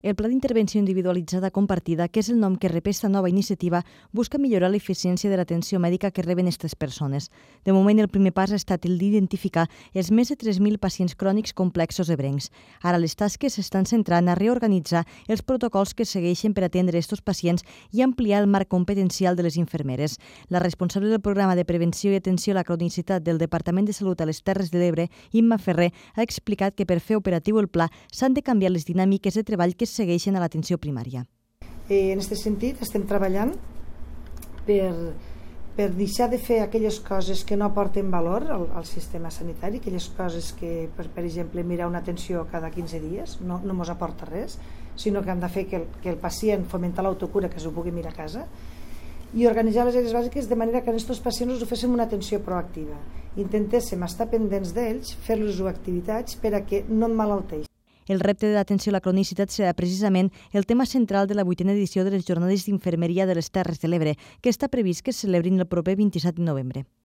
El Pla d'Intervenció Individualitzada Compartida, que és el nom que rep esta nova iniciativa, busca millorar l'eficiència de l'atenció mèdica que reben aquestes persones. De moment, el primer pas ha estat el d'identificar els més de 3.000 pacients crònics complexos ebrencs. Ara les tasques s'estan centrant a reorganitzar els protocols que segueixen per atendre aquests pacients i ampliar el marc competencial de les infermeres. La responsable del programa de prevenció i atenció a la cronicitat del Departament de Salut a les Terres de l'Ebre, Imma Ferrer, ha explicat que per fer operatiu el pla s'han de canviar les dinàmiques de treball que segueixen a l'atenció primària. En aquest sentit, estem treballant per deixar de fer aquelles coses que no aporten valor al sistema sanitari, aquelles coses que, per exemple, mirar una atenció cada 15 dies no ens aporta res, sinó que hem de fer que el pacient fomentar l'autocura, que s'ho pugui mirar a casa, i organitzar les àrees bàsiques de manera que a aquests pacients us oféssem una atenció proactiva. Intentéssim estar pendents d'ells, fer-los activitats per a que no emmalalteixin. El repte de l'atenció a la cronicitat serà precisament el tema central de la 8a edició de les Jornades d'Infermeria de les Terres de l'Ebre, que està previst que es celebrin el proper 27 de novembre.